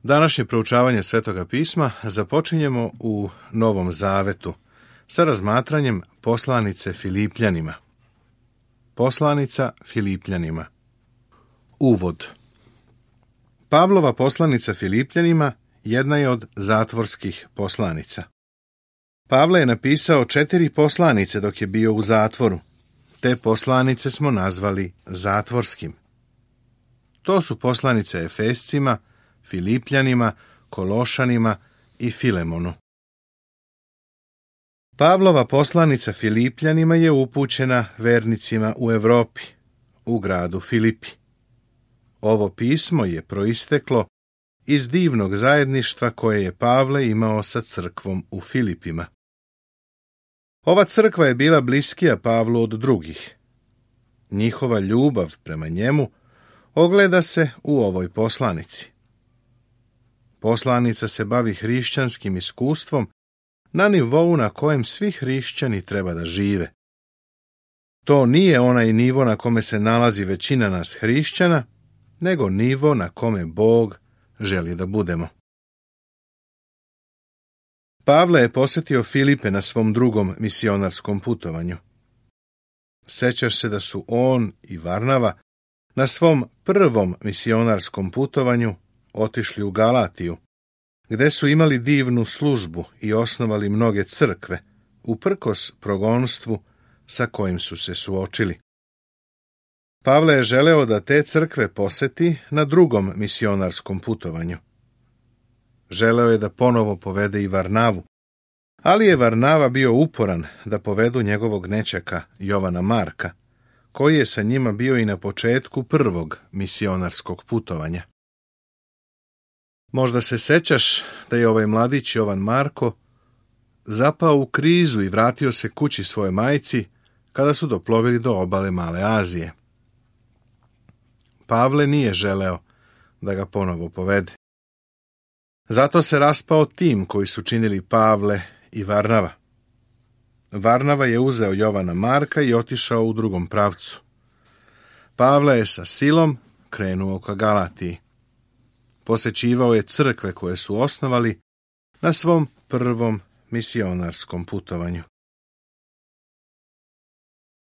Današnje proučavanje Svetoga pisma započinjemo u Novom Zavetu sa razmatranjem poslanice Filipljanima. Poslanica Filipljanima. Uvod. Pavlova poslanica Filipljanima jedna je od zatvorskih poslanica. Pavle je napisao 4 poslanice dok je bio u zatvoru. Te poslanice smo nazvali zatvorskim. To su poslanice Efescima, Filipljanima, Kološanima i Filemonu. Pavlova poslanica Filipljanima je upućena vernicima u Evropi, u gradu Filipi. Ovo pismo je proisteklo iz divnog zajedništva koje je Pavle imao sa crkvom u Filipima. Ova crkva je bila bliskija Pavlu od drugih. Njihova ljubav prema njemu ogleda se u ovoj poslanici. Poslanica se bavi hrišćanskim iskustvom na nivou na kojem svi hrišćani treba da žive. To nije onaj nivo na kome se nalazi većina nas hrišćana, nego nivo na kome Bog želi da budemo. Pavle je posjetio Filipe na svom drugom misionarskom putovanju. Sećaš se da su on i Varnava na svom prvom misionarskom putovanju otišli u Galatiju, gde su imali divnu službu i osnovali mnoge crkve, uprkos progonstvu sa kojim su se suočili. Pavle je želeo da te crkve poseti na drugom misionarskom putovanju. Želeo je da ponovo povede i Varnavu, ali je Varnava bio uporan da povedu njegovog nećaka Jovana Marka, koji je sa njima bio i na početku prvog misionarskog putovanja. Možda se sećaš da je ovaj mladić Jovan Marko zapao u krizu i vratio se kući svojoj majci kada su doplovili do obale Male Azije. Pavle nije želeo da ga ponovo povede. Zato se raspao tim koji su činili Pavle i Varnava. Varnava je uzeo Jovana Marka i otišao u drugom pravcu. Pavle je sa Silom krenuo ka Galatiji. Posećivao je crkve koje su osnovali na svom prvom misionarskom putovanju.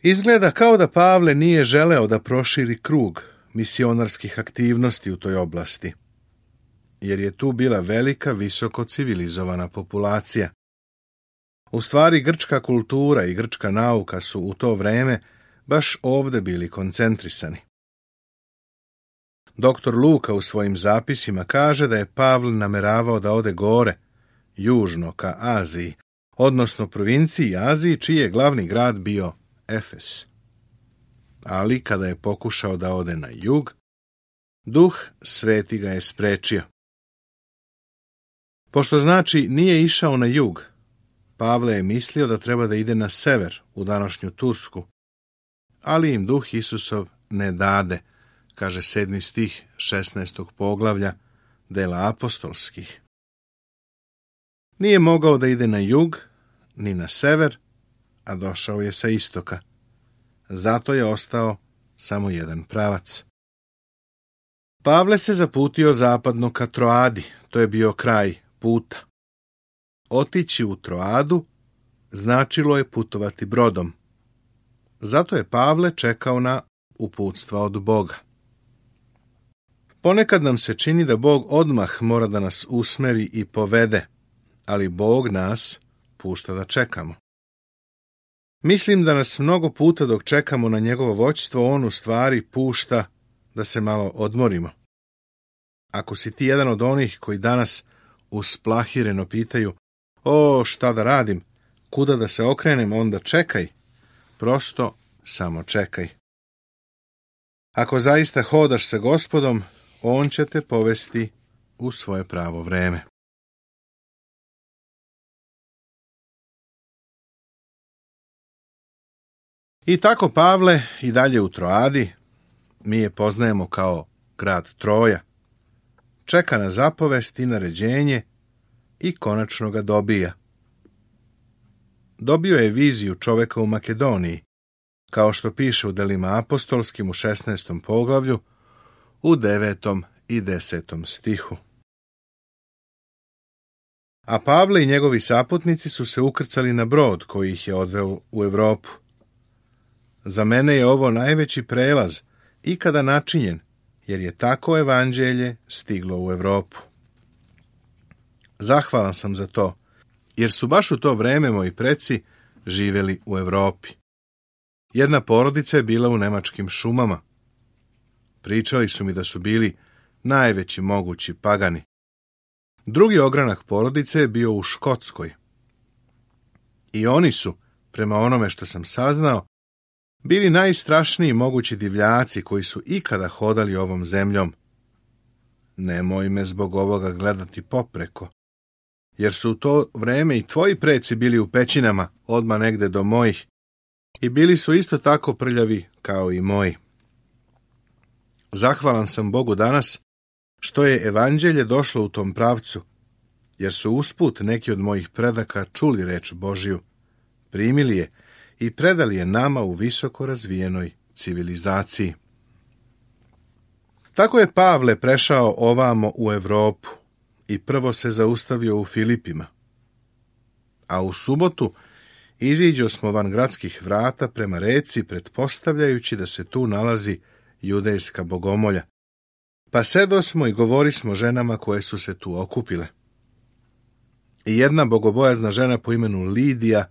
Izgleda kao da Pavle nije želeo da proširi krug misionarskih aktivnosti u toj oblasti, jer je tu bila velika, visoko civilizovana populacija. U stvari, grčka kultura i grčka nauka su u to vreme baš ovde bili koncentrisani. Doktor Luka u svojim zapisima kaže da je Pavle nameravao da ode gore, južno ka Aziji, odnosno provinciji Aziji, čiji je glavni grad bio Efes. Ali kada je pokušao da ode na jug, Duh Sveti ga je sprečio. Pošto znači nije išao na jug, Pavle je mislio da treba da ide na sever, u današnju Tursku, ali im Duh Isusov ne dade, kaže 7. stih 16. poglavlja Dela apostolskih. Nije mogao da ide na jug, ni na sever, a došao je sa istoka. Zato je ostao samo jedan pravac. Pavle se zaputio zapadno ka Troadi, to je bio kraj puta. Otići u Troadu značilo je putovati brodom. Zato je Pavle čekao na uputstva od Boga. Ponekad nam se čini da Bog odmah mora da nas usmeri i povede, ali Bog nas pušta da čekamo. Mislim da nas mnogo puta dok čekamo na njegovo vođstvo, on u stvari pušta da se malo odmorimo. Ako si ti jedan od onih koji danas usplahireno pitaju: "O, šta da radim? Kuda da se okrenem?" onda čekaj. Prosto samo čekaj. Ako zaista hodaš sa Gospodom, on će te povesti u svoje pravo vreme. I tako Pavle i dalje u Troadi, mi je poznajemo kao grad Troja, čeka na zapovest i naređenje i konačno ga dobija. Dobio je viziju čoveka u Makedoniji, kao što piše u Delima apostolskim u 16. poglavlju, u 9. i 10. stihu. a Pavle i njegovi saputnici su se ukrcali na brod koji ih je odveo u Europu. Za mene je ovo najveći prelaz ikada načinjen, jer je tako evanđelje stiglo u Europu. Zahvalan sam za to, jer su baš u to vreme moji preci živjeli u Europi. Jedna porodica je bila u nemačkim šumama. Pričali su mi da su bili najveći mogući pagani. Drugi ogranak porodice je bio u Škotskoj. I oni su, prema onome što sam saznao, bili najstrašniji mogući divljaci koji su ikada hodali ovom zemljom. Nemoj me zbog ovoga gledati popreko, jer su u to vreme i tvoji preci bili u pećinama odmah negde do mojih i bili su isto tako prljavi kao i moji. Zahvalan sam Bogu danas što je evanđelje došlo u tom pravcu, jer su usput neki od mojih predaka čuli reč Božju, primili je i predali je nama u visoko razvijenoj civilizaciji. Tako je Pavle prešao ovamo u Europu i prvo se zaustavio u Filipima. A u subotu iziđo smo van gradskih vrata prema reci, pretpostavljajući da se tu nalazi judejska bogomolja. Pa sedosmo i govorismo ženama koje su se tu okupile. I jedna bogobojazna žena po imenu Lidija,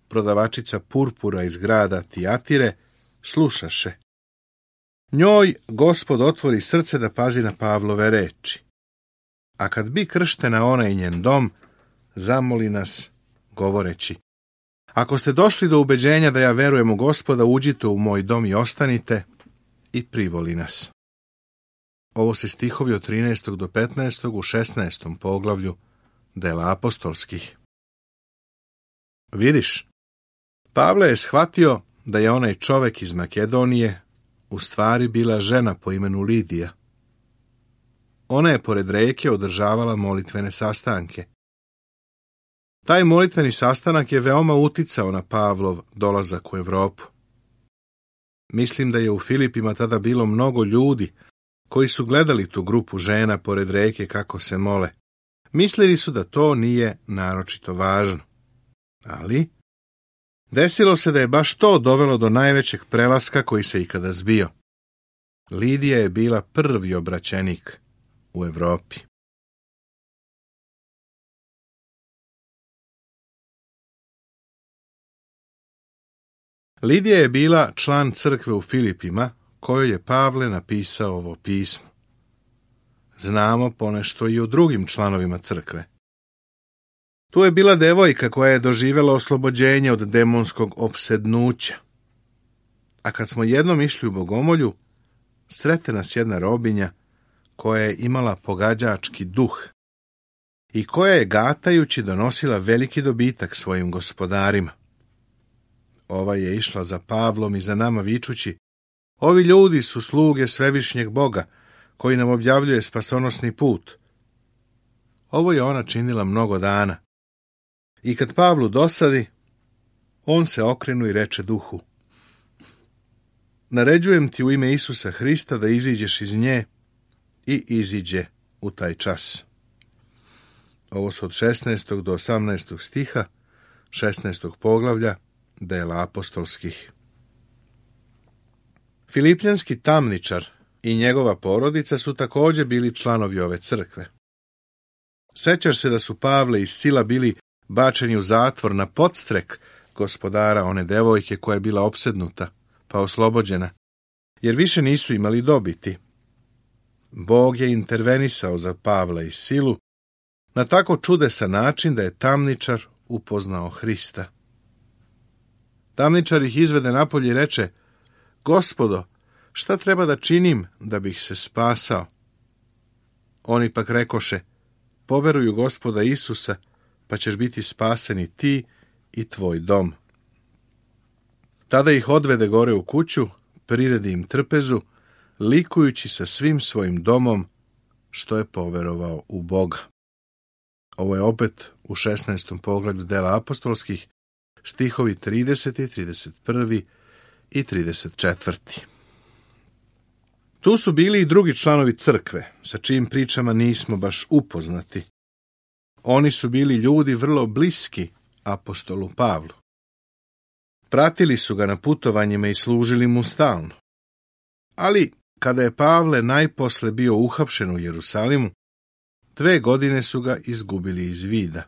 prodavačica purpura iz grada Tijatire, slušaše. Njoj Gospod otvori srce da pazi na Pavlove reči. A kad bi krštena ona i njen dom, zamoli nas, govoreći: ako ste došli do ubeđenja da ja verujem u Gospoda, uđite u moj dom i ostanite, i privoli nas. Ovo se stihovi od 13. do 15. u 16. poglavlju Dela apostolskih. Vidiš, Pavle je shvatio da je onaj čovek iz Makedonije u stvari bila žena po imenu Lidija. Ona je pored reke održavala molitvene sastanke. Taj molitveni sastanak je veoma uticao na Pavlov dolazak u Europu. Mislim da je u Filipima tada bilo mnogo ljudi koji su gledali tu grupu žena pored reke kako se mole. Mislili su da to nije naročito važno. Ali desilo se da je baš to dovelo do najvećeg prelaska koji se ikada zbio. Lidija je bila prvi obraćenik u Europi. Lidija je bila član crkve u Filipima, kojoj je Pavle napisao ovo pismo. Znamo ponešto i o drugim članovima crkve. Tu je bila devojka koja je doživjela oslobođenje od demonskog opsednuća. A kad smo jednom išli u bogomolju, srete nas jedna robinja koja je imala pogađački duh i koja je gatajući donosila veliki dobitak svojim gospodarima. Ova je išla za Pavlom i za nama vičući: ovi ljudi su sluge svevišnjeg Boga, koji nam objavljuje spasonosni put. Ovo je ona činila mnogo dana. I kad Pavlu dosadi, on se okrenu i reče duhu: naređujem ti u ime Isusa Hrista da iziđeš iz nje, i iziđe u taj čas. Ovo su od 16. do 18. stiha 16. poglavlja Dela apostolskih. Filipljanski tamničar i njegova porodica su također bili članovi ove crkve. Sećaš se da su Pavle i Sila bili bačeni u zatvor na podstrek gospodara one devojke koja je bila opsednuta, pa oslobođena, jer više nisu imali dobiti. Bog je intervenisao za Pavla i Silu na tako čudesan način da je tamničar upoznao Hrista. Tamničar ih izvede napolje i reče: Gospodo, šta treba da činim da bih se spasao? Oni pak rekoše: poveruj u Gospoda Isusa, pa ćeš biti spaseni ti i tvoj dom. Tada ih odvede gore u kuću, priredi im trpezu, likujući sa svim svojim domom što je poverovao u Boga. Ovo je opet u 16. poglavlju Dela apostolskih, stihovi 30., 31. i 34. Tu su bili i drugi članovi crkve, sa čijim pričama nismo baš upoznati. Oni su bili ljudi vrlo bliski apostolu Pavlu. Pratili su ga na putovanjima i služili mu stalno. Ali, kada je Pavle najposle bio uhapšen u Jerusalimu, 2 godine su ga izgubili iz vida.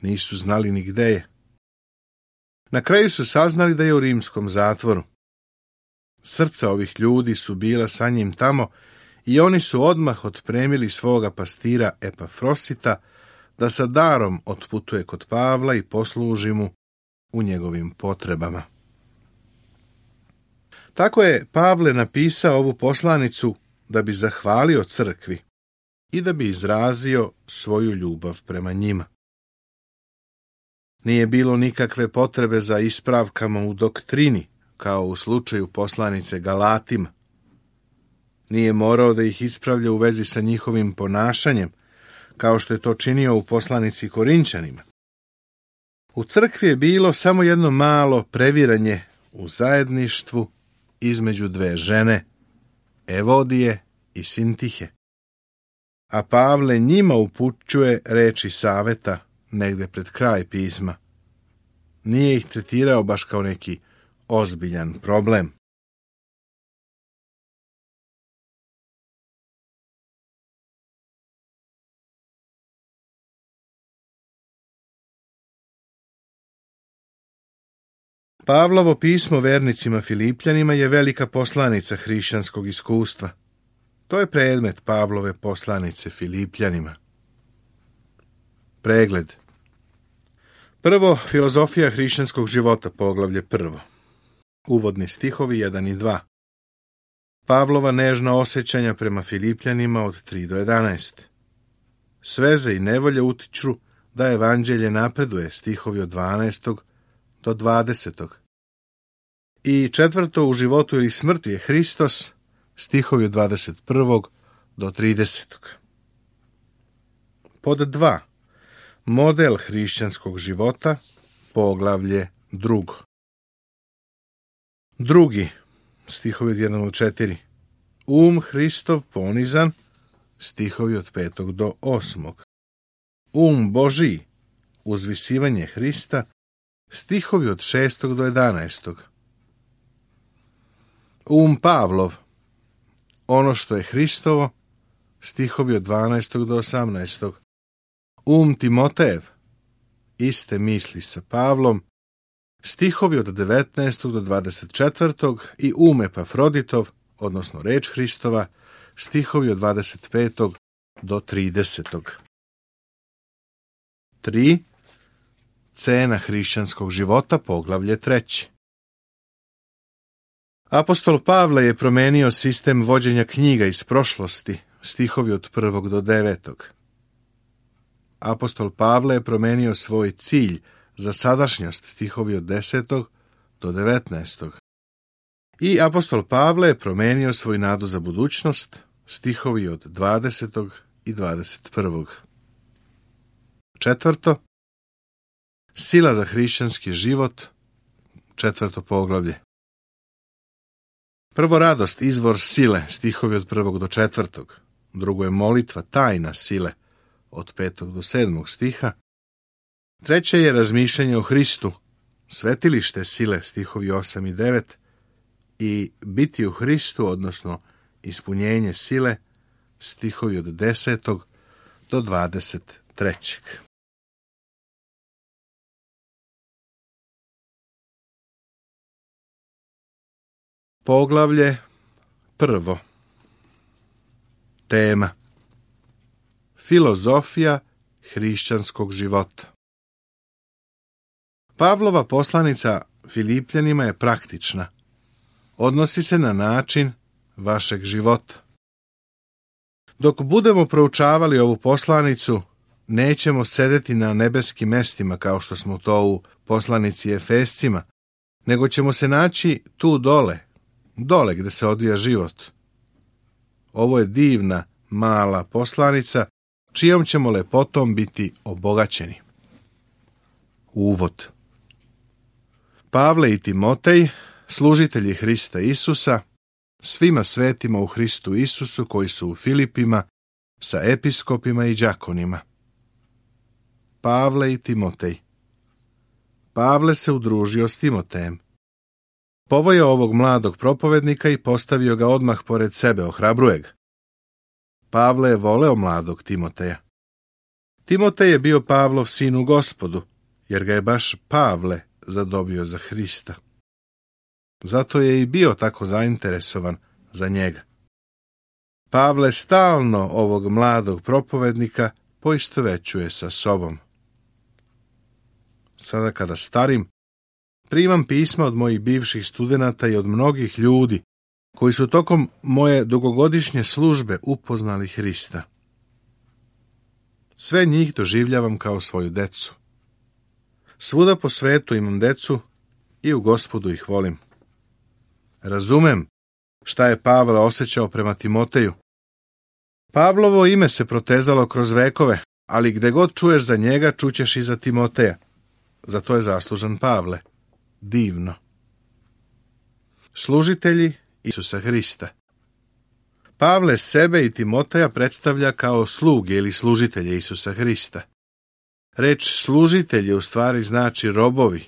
Nisu znali ni gde je. Na kraju su saznali da je u rimskom zatvoru. Srca ovih ljudi su bila sa njim tamo i oni su odmah otpremili svoga pastira Epafrosita da sa darom otputuje kod Pavla i posluži mu u njegovim potrebama. Tako je Pavle napisao ovu poslanicu da bi zahvalio crkvi i da bi izrazio svoju ljubav prema njima. Nije bilo nikakve potrebe za ispravkama u doktrini, kao u slučaju poslanice Galatima. Nije morao da ih ispravlja u vezi sa njihovim ponašanjem, kao što je to činio u poslanici Korinćanima. U crkvi je bilo samo jedno malo previranje u zajedništvu između 2 žene, Evodije i Sintihe. A Pavle njima upućuje reči saveta negde pred kraj pisma. Nije ih tretirao baš kao neki ozbiljan problem. Pavlovo pismo vernicima Filipljanima je velika poslanica hrišćanskog iskustva. To je predmet Pavlove poslanice Filipljanima. Pregled. Prvo, filozofija hrišćanskog života, poglavlje 1. Uvodni stihovi 1 i 2. Pavlova nežna osjećanja prema Filipljanima od 3 do 11. Sveze i nevolje utiču da evanđelje napreduje, stihovi od 12. do 20. I 4. u životu ili smrti je Hristos, stihovi od 21. do 30. Pod 2. Model hrišćanskog života, poglavlje 2. Drugi, stihovi od 1 do 4. Hristov ponizan, stihovi od 5. do 8. Božiji, uzvisivanje Hrista, stihovi od 6. do 11. Pavlov, ono što je Hristovo, stihovi od 12. do 18. Timotejev, iste misli sa Pavlom, stihovi od 19. do 24. i Epafroditov, odnosno reč Hristova, stihovi od 25. do 30. 3. Cena hrišćanskog života, poglavlje 3. Apostol Pavle je promenio sistem vođenja knjiga iz prošlosti, stihovi od 1. do 9. Apostol Pavle je promenio svoj cilj za sadašnjost, stihovi od 10. do 19. I apostol Pavle je promenio svoju nadu za budućnost, stihovi od 20. i 21. 4. Sila za hrišćanski život, 4. poglavlje. Prvo, radost, izvor sile, stihovi od 1. do 4. Drugo je molitva, tajna sile, od 5. do 7. stiha. Treće je razmišljanje o Hristu, svetilište sile, stihovi 8 i 9. I biti u Hristu, odnosno ispunjenje sile, stihovi od 10. do 23. Poglavlje 1. Tema: filozofija hrišćanskog života. Pavlova poslanica Filipljanima je praktična. Odnosi se na način vašeg života. Dok budemo proučavali ovu poslanicu, nećemo sedeti na nebeskim mestima kao što smo to u poslanici Efescima, nego ćemo se naći tu dole gde se odvija život. Ovo je divna, mala poslanica, čijom ćemo lepotom biti obogaćeni. Uvod. Pavle i Timotej, služitelji Hrista Isusa, svima svetima u Hristu Isusu koji su u Filipima, sa episkopima i đakonima. Pavle i Timotej. Pavle se udružio s Timotejem. Povojao ovog mladog propovednika i postavio ga odmah pored sebe, ohrabruje ga. Pavle je voleo mladog Timoteja. Timotej je bio Pavlov sin u Gospodu, jer ga je baš Pavle zadobio za Hrista. Zato je i bio tako zainteresovan za njega. Pavle stalno ovog mladog propovednika poistovećuje sa sobom. Sada kada starim, primam pisma od mojih bivših studenata i od mnogih ljudi koji su tokom moje dugogodišnje službe upoznali Hrista. Sve njih doživljavam kao svoju decu. Svuda po svetu imam decu i u Gospodu ih volim. Razumem šta je Pavle osjećao prema Timoteju. Pavlovo ime se protezalo kroz vekove, ali gde god čuješ za njega, čućeš i za Timoteja. Za to je zaslužan Pavle. Divno. Služitelji Isusa Hrista. Pavle sebe i Timoteja predstavlja kao sluge ili služitelje Isusa Hrista. Reč služitelji u stvari znači robovi.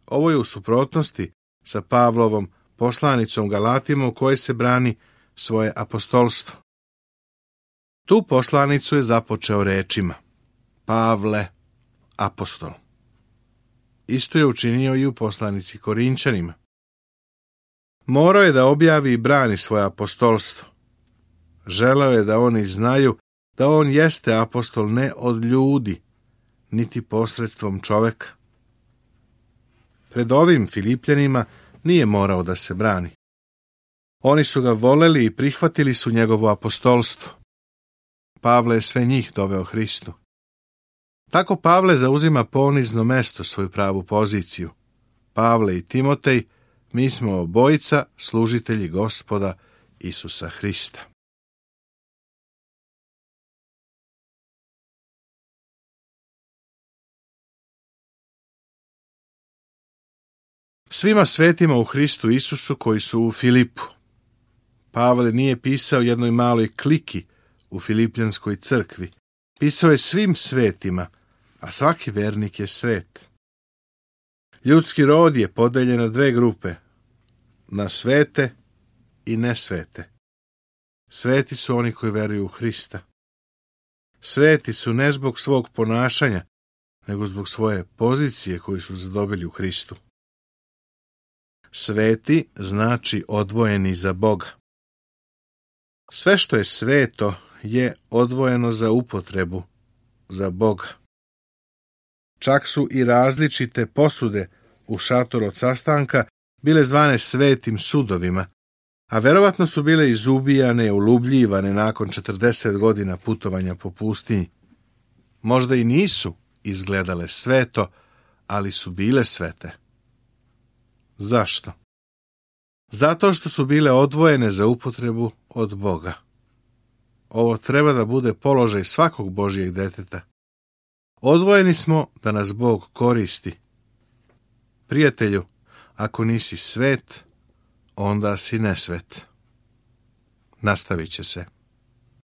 Ovo je u suprotnosti sa Pavlovom poslanicom Galatima u kojoj se brani svoje apostolstvo. Tu poslanicu je započeo rečima: Pavle, apostol. Isto je učinio i u poslanici Korinčanima. Morao je da objavi i brani svoje apostolstvo. Želeo je da oni znaju da on jeste apostol ne od ljudi, niti posredstvom čoveka. Pred ovim Filipljanima nije morao da se brani. Oni su ga voleli i prihvatili su njegovo apostolstvo. Pavle je sve njih doveo Hristu. Tako Pavle zauzima ponizno mesto, svoju pravu poziciju. Pavle i Timotej, mi smo obojica služitelji Gospoda Isusa Hrista. Svima svetima u Hristu Isusu koji su u Filipu. Pavle nije pisao jednoj maloj kliki u Filipljanskoj crkvi. Pisao je svim svetima, a svaki vernik je svet. Ljudski rod je podeljen na dve grupe, na svete i nesvete. Sveti su oni koji veruju u Hrista. Sveti su ne zbog svog ponašanja, nego zbog svoje pozicije koju su zadobili u Hristu. Sveti znači odvojeni za Boga. Sve što je sveto je odvojeno za upotrebu, za Boga. Čak su i različite posude u šatoru od sastanka bile zvane svetim sudovima, a verovatno su bile izubijane, ulubljivane nakon 40 godina putovanja po pustinji. Možda i nisu izgledale sveto, ali su bile svete. Zašto? Zato što su bile odvojene za upotrebu od Boga. Ovo treba da bude položaj svakog Božjeg deteta. Odvojeni smo da nas Bog koristi. Prijatelju, ako nisi svet, onda si nesvet. Nastavit će se.